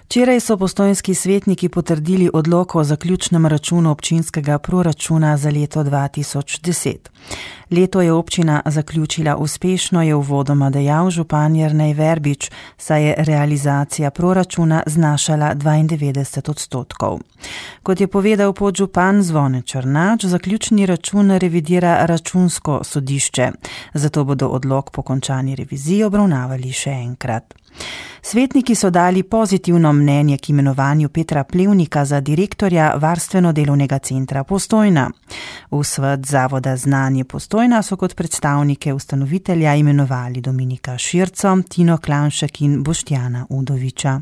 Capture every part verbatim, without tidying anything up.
Včeraj so postojnski svetniki potrdili odlok o zaključnem računu občinskega proračuna za leto dva tisoč deset. Leto je občina zaključila uspešno, je uvodoma dejal župan Jernej Verbič, saj je realizacija proračuna znašala dvaindevetdeset odstotkov. Kot je povedal podžupan Zvone Črnač, zaključni račun revidira računsko sodišče, zato bodo odlok po končani reviziji obravnavali še enkrat. Svetniki so dali pozitivno mnenje k imenovanju Petra Plevnika za direktorja Varstveno-delovnega centra Postojna. V svet Zavoda Znanje Postojna so kot predstavnike ustanovitelja imenovali Dominika Širco, Tino Klanšek in Boštjana Udoviča.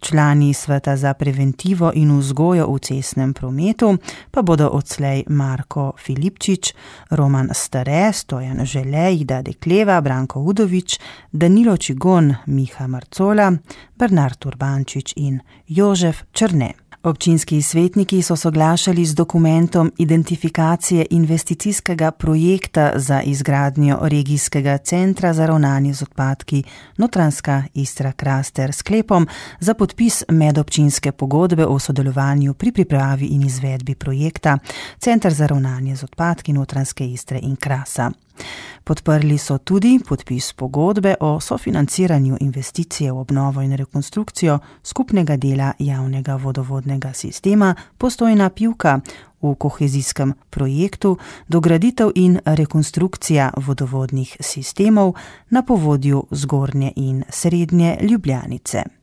Člani sveta za preventivo in vzgojo v cestnem prometu pa bodo odslej Marko Filipčič, Roman Stare, Stojan Žele, Ida Dekleva, Branko Udovič, Danilo Čigon, Miha Marcola, Bernard Urbančič in Jožef Črne. Občinski svetniki so soglašali z dokumentom identifikacije investicijskega projekta za izgradnjo regijskega centra za ravnanje z odpadki Notranjska Istra-Kras sklepom za podpis medobčinske pogodbe o sodelovanju pri pripravi in izvedbi projekta Center za ravnanje z odpadki Notranjske Istre in Krasa. Podprli so tudi podpis pogodbe o sofinanciranju investicije v obnovo in rekonstrukcijo skupnega dela javnega vodovodnega sistema Postojna Pivka v kohezijskem projektu dograditev in rekonstrukcija vodovodnih sistemov na povodju Zgornje in Srednje Ljubljanice.